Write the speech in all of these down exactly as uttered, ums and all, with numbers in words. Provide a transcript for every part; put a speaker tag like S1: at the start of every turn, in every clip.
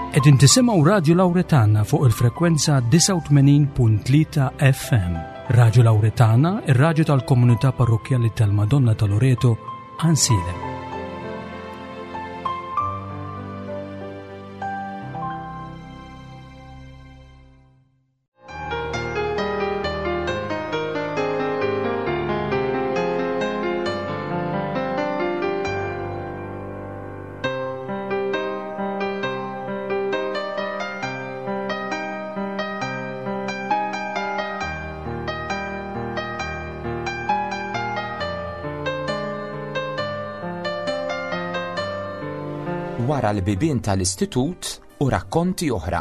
S1: Qegħdin tisimgħu Radju Lawretana fuq il-frekwenza disgħa u tmenin punt tlieta F M. Radju Lawretana, ir-radju tal-komunità parrokkjali tal-Madonna ta' Loreto, Għajnsielem.
S2: Wara l-bibien tal-istitut u rakkonti oħra.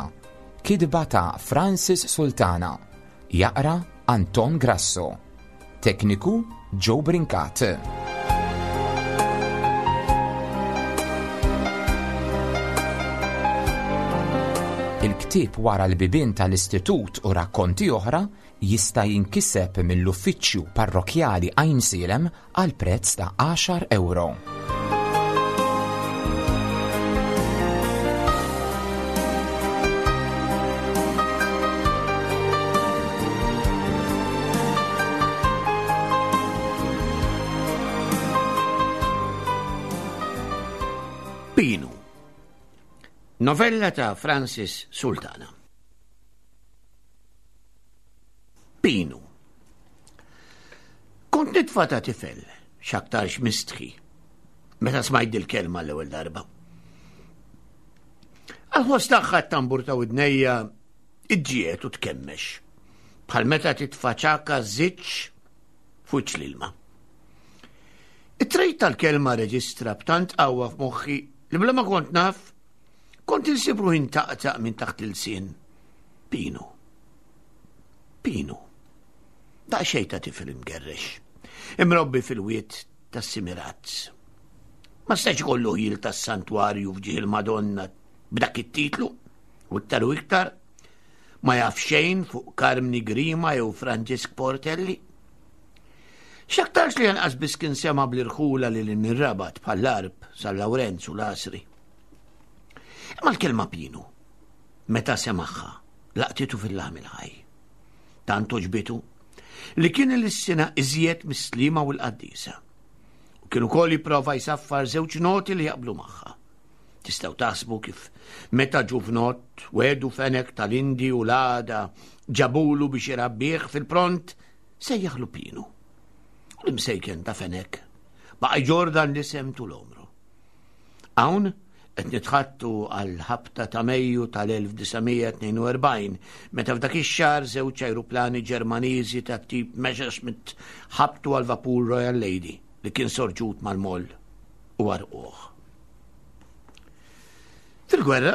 S2: Kitba ta' Francis Sultana. Jaqra Anton Grasso. Tekniku Joe Brincat. Il-ktieb Wara l-bibien tal-istitut u rakkonti oħra jista' jinkiseb mill-uffiċċju parrokkjali Għajnsielem għal prezz ta' għaxar euro.
S3: Pinu. Novella ta' Francis Sultana. Pinu. Kont nitfa ta' tifel, x'aktarx mistħi, meta smajt dil-kelma l-ewwel darba. Għal-ħoss tagħha t-tambur ta' widnejja iġġiet u tkemmex, bħal meta titfa' ċaka żiċ fuq l-ilma. It-trejt tal-kelma reġistra b'tant qawwa f'moħħi li bla ma kont naf, kont insib ruħi ntaqtaq minn taħt il-sien. Pinu. Pinu. Daqsxejn ta' tifel imgerrex, imrobbi fil-wied tas-Simirazz. Ma setax ikollu ħil tas-santwarju f'ġieħ il-Madonna b'dak it-titlu, u iktar u iktar ma jaf xejn fuq Karmni Grima jew Franġisk Portelli. X'aktarx li anqas biss kien sema bl-irħula li l-Rabat bħall-Għarb, San Lawrenz u l-Għasri. Imma l-kelma Pinu, meta semaħħa, laqtitu fil-laħm il-ħaj. Tant oġbitu li kien il-sena iżjed mis-Sliema u l-Qaddisa. U kien ukoll jipprova jsaffar żewġ noti li jaqblu magħha. Tistgħu taħsbu kif meta ġuvnott wedu fenek tal-Indi u l-għada ġabulu biex irabbih fil-pront sejjaħlu Pinu. U l-imsejken ta' fenek baqa' jġordan l-isem tul omru. Hawn qed nitħattu għal ħabta ta' Mejju tal-elf disa' mija tnejn u erbgħin, meta f'dak ix-xahar żewġ ajruplani Ġermaniżi ta' tip Messerschmitt ħabtu għal vapur Royal Lady li kien sorġut mal-moll u għarquh. Fil-gwerra,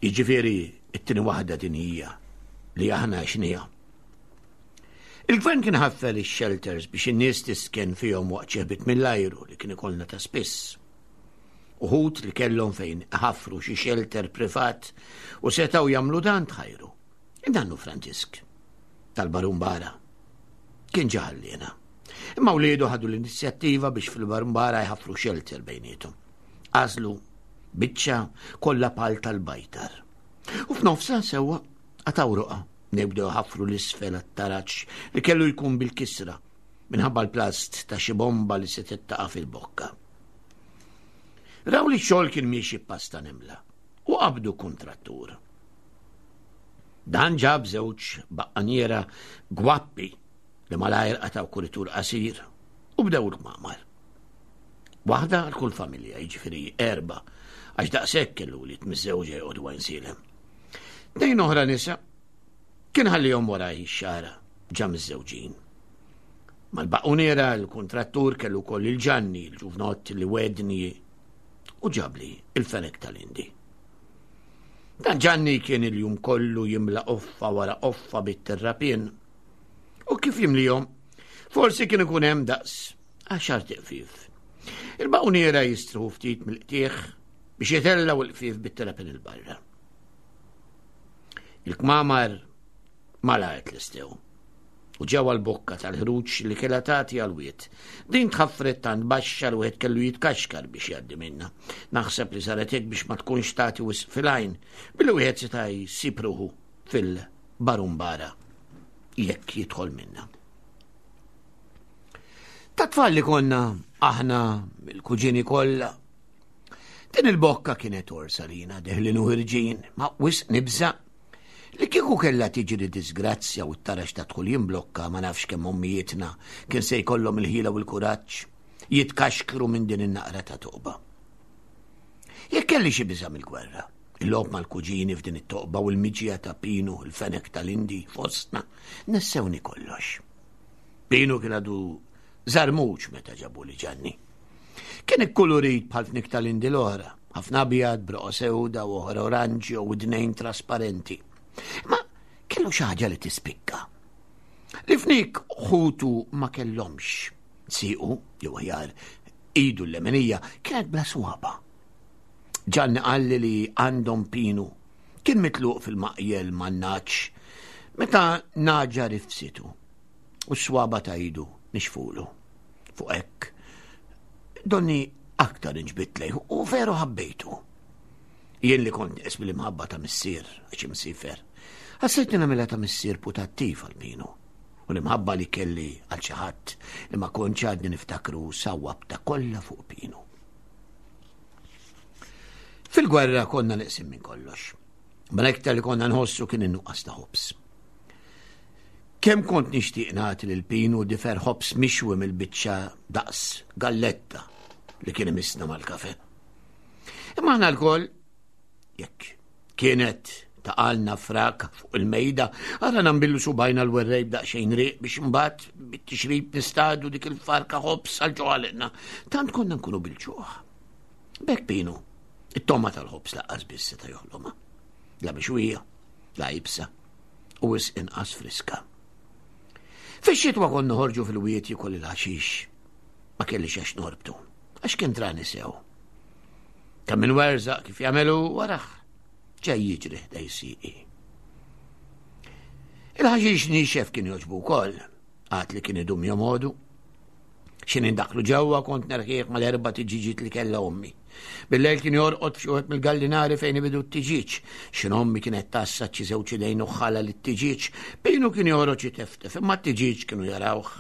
S3: jiġifieri it-tieni waħda dinjija li aħna xnija. Il-gvern kien ħaffel ix-shelters biex in-nies tisken fihom waqt xi ħbit mill-ajru li kien ikollna ta' spiss. Uħud li kellhom fejn ħafru xi shelter privat u setgħu jagħmlu dan tħajru. Indannu Franġisk tal-Barumbara kien ġaħallina. Imma wliedu ħadu l-inizjattiva biex fil-Barumbara jħafru shelter bejniethom. Għażlu biċċa kollha pal tal-bajtar. U f'nofsha sewwa qataw roqgħa nibdew ħafru l-isfel għat-taraġ li kellu jkun bil-kisra minħabba l-plast ta' xi bomba li se taqa' fil-bokka. Raw li x-xogħol kien miexi pasta nemla u qabdu kontrattur. Dan ġab żewġ baqqaniera gwappi li malajr qataw kuritur qasir u bdew il-kmamar. Waħda għal kull familja, jiġifieri erba', għax daqshekk kellu li tmiżżewġa joqogħdu Għajnsielem. Tnejn oħra nisa kien ħallihom waraj ix-xara ġa miżżewġin. Mal-baquniera l-kontrattur kellu wkoll il-Ġanni, il-ġuvnott li wedni u ġabli il-fenek tal-Indi. Dan Ġanni kien il-jum kollu jimla qoffa wara qoffa bit-terrapien. U kif jimlihom, forsi kien ikun hemm daqs għaxar tiqfif. Il-baquniera jistruħu ftit mill-qtieħ biex jitellgħu l-qfif bit-terrapien il-barra. Il-kmamar malajr tlestew. U ġewwa l-bokka tal-ħruġ li kellha tagħti għal-wied. Din tħaffret tant baxxa li wieħed kellu jitkaxkar biex jgħaddi minnha. Naħseb li saret hekk biex ma tkunx tagħti wisq fil-għajn, billi wieħed seta' jsib ruħu fil-barumbara jekk jidħol minnha. Ta' tfal li konna aħna il-kuġini kollha. Din il-bokka kienet orsa lina deħlin u ħirġin, ma wisq nibża' li kieku kellha tiġri disgrazzja u t-tarax ta' dħul jimblokka ma nafx kemm ommijietna kien se jkollhom il-ħila u l-kuraġġ jitkaxkru minn din in-naqra ta' toqba. Jekk kelli xi biża' mill-gwerra, il-logħob mal-kuġini f'din it-toqba u l-miġja ta' Pinu, il-fenek tal-Indi fostna, nessewni kollox. Pinu kien għadu żarmuċ meta ġabu li Ġanni. Kien ikkulurit bħal fnik tal-Indi l-oħra, ħafna abjad, broqa sewda u oħra oranġjo u dnejn trasparenti. Ma kellu xi ħaġa li tispikka. Li fnik ħutu ma kellhomx. Siqu, jew aħjar, idu l-lemenija kienet bla swaba. Ġanni qalli li għandhom Pinu kien mitluq fil-maqjel man-naċ meta naġa rifsitu u s-swaba ta' idu nixfulu. Fuq hekk donni aktar inġbit lejh u veru ħabbejtu. Jien li kont nieqes bil-imħabba ta' missier għax imsifer. Ħassejt nagħmilha ta' missier putattiv għal Pinu. U l-imħabba li kelli għal xi ħadd li ma kontx għadni niftakru sawwabta kollha fuq Pinu. Fil-gwerra konna neqsim minn kollox. Ma l-iktar li konna nħossu kien in-nuqqas ta' ħobż. Kemm kont nixtieq nagħti lil Pinu difer ħobż mixwi mill-biċċa daqs galletta li kien imissna mal-kafe. Imma aħna lkoll, jekk kienet taqalna frak fuq il-mejda, għara nambillu subajna l-werrej b'daqsxejn riq biex imbagħad bit-tixrib nistadu dik il-farka ħobż għal ġo. Tant konna nkunu bil-ġuħ. B'hekk Pinu, it-toma tal-ħobż laqqas biss seta' joħlomha. La mixwija, la ibsa, u wisq inqas friska. Fix-xitwa konna noħorġu fil-wiet jikol il-ħaxix. Ma kellix għax norbtu, għax kien drani sew. Kemm minn werżaq kif jagħmelu waraħ, ġej jiġri ħdej sieqi. Il-ħaxix nixef kien jogħġbu wkoll, għad li kien idum jomodu. X'in indaklu ġewwa kont nerħieħ mal-erba' tiġiġiet li kellha ommi. Bil-lejl kien jorqod f'xi wieħed mill-gallinari fejn ibidu t-tiġiġ. X'in ommi kienet tassa xi żewġ idejn u ħala lit-tiġiġ, Pinu kien joħroġ jiteftef, imma t-tiġiġ kienu jarawh.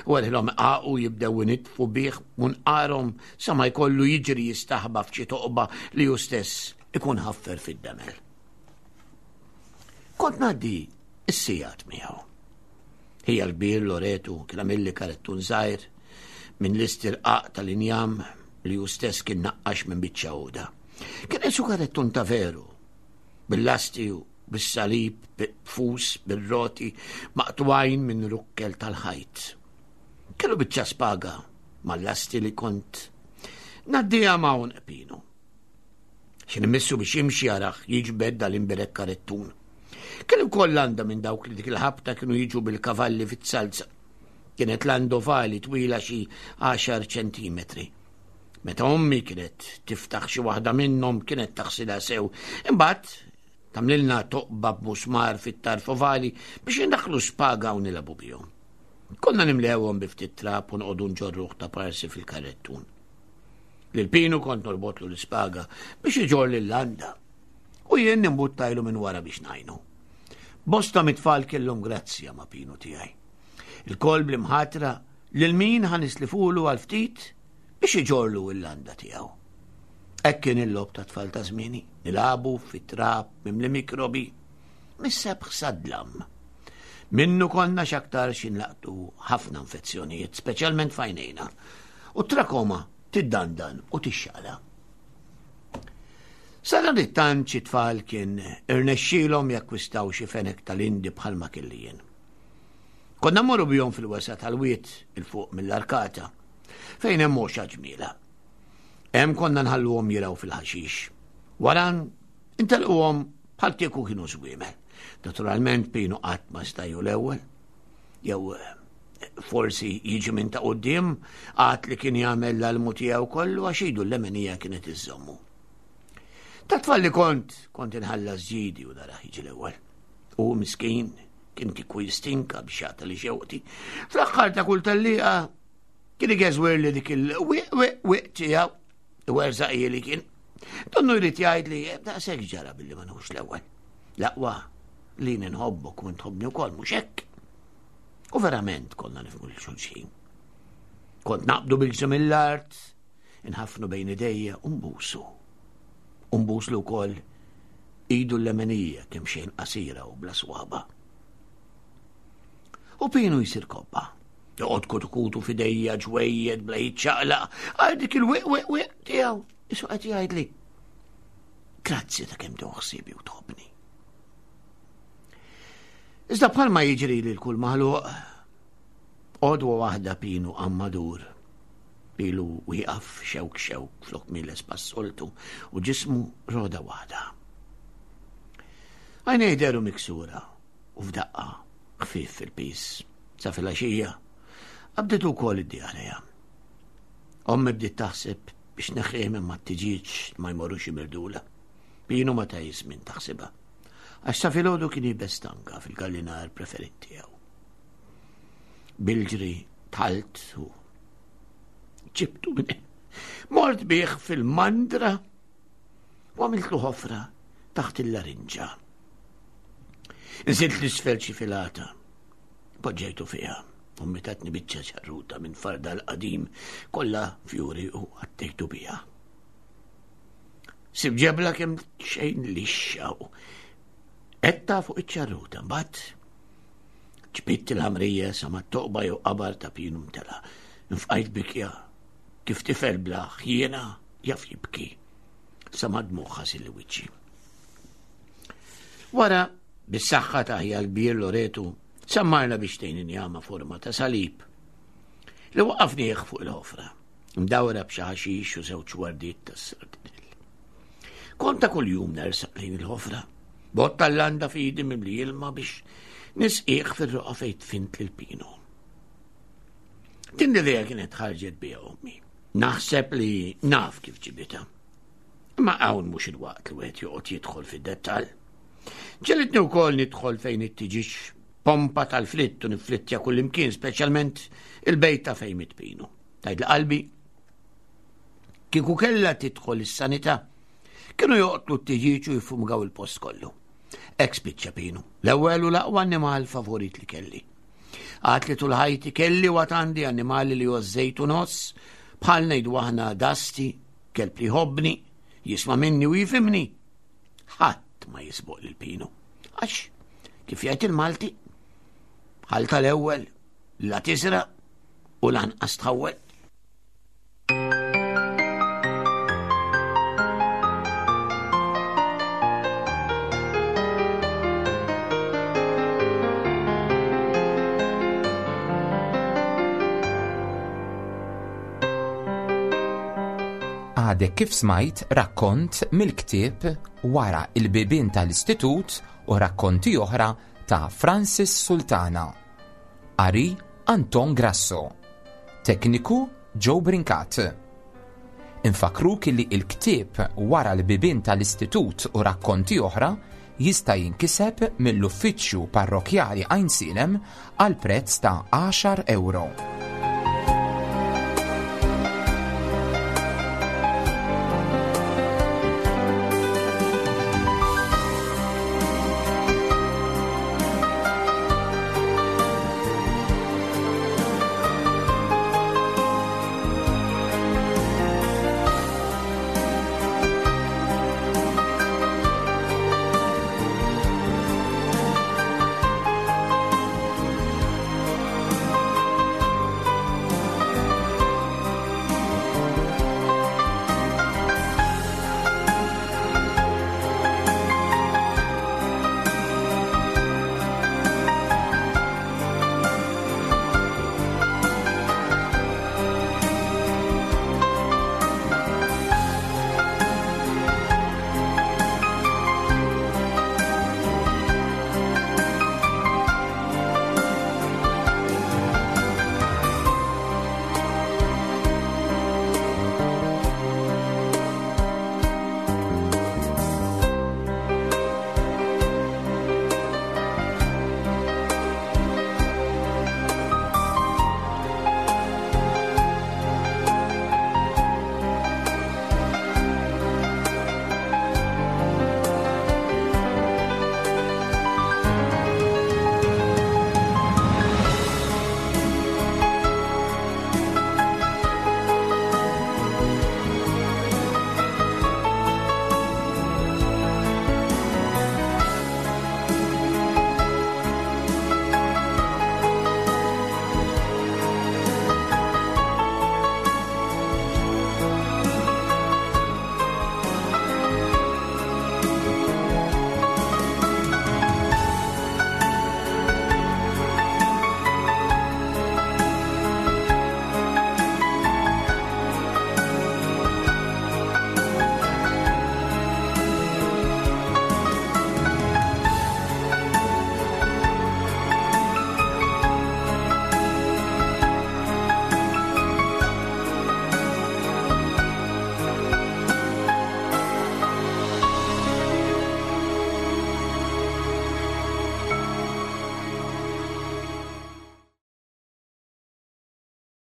S3: U għalihom qaqu jibdew initfu bih munqarhom sa ma jkollu jiġri jistaħba f'xi toqba li hu stess ikun ħaffer fid-demel. Kont ngħaddi s-sigħat miegħu. Hija l-kbir Loretu kien għamilli karettun żgħir minn l-istirqaq tal-injam li hu stess kien naqqax minn biċċa għoda. Kien qisu karettun ta' veru, bil-lasti u bis-salib, b'fus, bir-roti, maqtwajn minn rukkel tal-ħajt. Kellu biċċa spaga mal-lasti li kont ngħaddiha ma' għonq Pinu. Xi nimmissu biex jimxi jaraħ jiġbed dal-imbirek karettun. Kellu wkoll landa minn dawk li dik il-ħabta kienu jiġu bil-kavalli fit-salza. Kienet landa ovali twila xi għaxar ċentimetri. Meta ommi kienet tiftaħ xi waħda minnhom kienet taħsilha sew. Imbagħad tagħmlilna toqba b'musmar fit-tarf ovali biex indaħħlu spaga u nilagħbu bihom. Konna nimlewhom bi ftit trab u noqogħdu nġorruh ta' parsi fil-karettun. Lil Pinu kont norbotlu l-ispaga biex iġorr lil-landa u jien nimbuttajlu minn wara biex ngħinu. Bosta mit-tfal kellhom grazzja ma' Pinu tiegħi. Il-kol bl-imħatra lil min ħanislifulu għal ftit biex iġorlu l-landa tiegħu. Hekk kien il-logħob ta' tfal ta' żmieni, nilagħbu fit-trab mimli mikrobi, mis-sebħ sadlam. Minnu konna x'aktar x'inlaqtu ħafna infezzjonijiet, speċjalment f'għajnejna, u t-trakoma tiddandan u tixxala. Sadanittant xi tfal kien irnexxielhom jakkwistaw xi fenek tal-Indi bħalma kelli jien. Konna mmorru bihom fil-wesa tal-wied il fuq mill-arkata, fejn hemm għoxa ġmiela. Hemm konna nħalluhom jiraw fil-ħaxix. Wara intelquhom bħal kieku kienu żwiemel. Naturalment Pinu qatt ma stajju l-ewwel, jew forsi jiġi minn ta' quddiem għad li kien jagħmel l-almu tiegħu kollu għax idu l-lemenija kienet iżżommu. Ta' tfal li kont, kont inħallas ġidi u naraħ jiġi l-ewwel. U miskin Kien kieku jistinka biex jagħta li xewqti. Fl-aħħar ta' kull tellieqa kien igeżwer li dik il-wiq wiq wiq tiegħu, werżaq li kien. Donnu jrid jgħid li daqshekk ġara billi ma nħux l-ewwel. L-aqwa li nħobbok u tħobbni wkoll mhux hekk. U verament konna nifhmu lil xulxin. Kont naqbdu bil-ġisem mill-art, inħafnu bejn idejja u nbusu. U nbuslu wkoll idu l-lemenija kemm xejn qasira u bla swaba. U Pinu jsir kobba. Joqgħod kutukutu f'idejja ġwejjed bla jiċċaqlaq għal dik il-wiq wiq wiq tiegħu. Isu qed jgħidli. Grazzi ta' kemm toħsibi u tħobbni. Iżda bħalma jiġri lil kull maħluq, għodwa waħda Pinu għammadur. Pilu wieqaf xewk xewk flok miles passoltu u ġismu roda waħda. Għajnejh dehru miksura u f'daqqa ħfief fil-pis. Sa filgħaxija qabditu wkoll id-diarrea. Ommi bdiet taħseb biex neħħih minn mat-tiġieġ ma jmorrux imirdula. Pinu ma ta żmien taħsibha. Għax sa filgħodu kien jibes tanka fil-gallinar preferit tiegħu. Bilġri talt u ġibtu minn Mort bih fil-mandra u għamiltlu ħofra taħt il-larinġa. Nżilt l-isfel xi filata, poġġejtu fiha, u mitatni biċċa ċarruta minn farda l-qadim kollha fjuri u għattejtu biha. Sib ġebla kemm xejn lixxa u etta fuq iċ-ċarruta, mbagħad ġbidt il-ħamrija sa ma toqba jew qabar ta' Pinu mtela. Nfqajt bikja kif tifel bla ħjiena jaf jibki sa ma dmuħ ħasil wiċċi. Wara, bis-saħħa ta' ħija l-kbir Loretu, sammarna biex tejn injama forma ta' salib li waqqafnieh fuq il-ħofra, mdawra b'xi ħaxix u żewġ wardiet tas-sardinell. Kont ta' kuljum nersaq lejn il-ħofra, bott tal-landa f'idi mimli ilma biex nisqieh fir-roqa fejn tfint lil Pinu. Din l-idea kienet ħarġet biha ommi. Naħseb li naf kif ġibitha. Ma hawn mhux il-waqt li wieħed joqgħod jidħol fid-dettall. Ġelitni wkoll nidħol fejn it-tiġix pompa tal-flitt u niflittja kullimkien, speċjalment il-bejta ta' fejn mitpinu. Tgħid qalbi, kieku kellha tidħol is-sanità, kienu joqtlu t-tiġiġ u jiffumgaw il-post kollu. Hekk spiċċa Pinu, l-ewwel u l-aqwa annimal favorit li kelli. Għad li tul ħajti kelli u għad għandi annimali li għożżejt u nħoss, bħal ngħidu aħna Dasti, kelb li jħobbni, jisma' minni u jifhimni. Ħadd ma jisboq lil Pinu. Għax, kif jgħid il-Malti, ħal tal-ewwel la tisraq u lanqas tħawwel.
S2: Għadek kif smajt rakkont mill-ktieb Wara il-bibien tal-Istitut u rakkonti oħra ta' Francis Sultana. Qari Anton Grasso. Tekniku Joe Brincat. Infakruk li il-ktieb Wara l-bibien tal-Istitut u rakkonti oħra jista' jinkiseb mill-Uffiċċju Parrokjali Għajnsielem għal prezz ta' għaxar euro.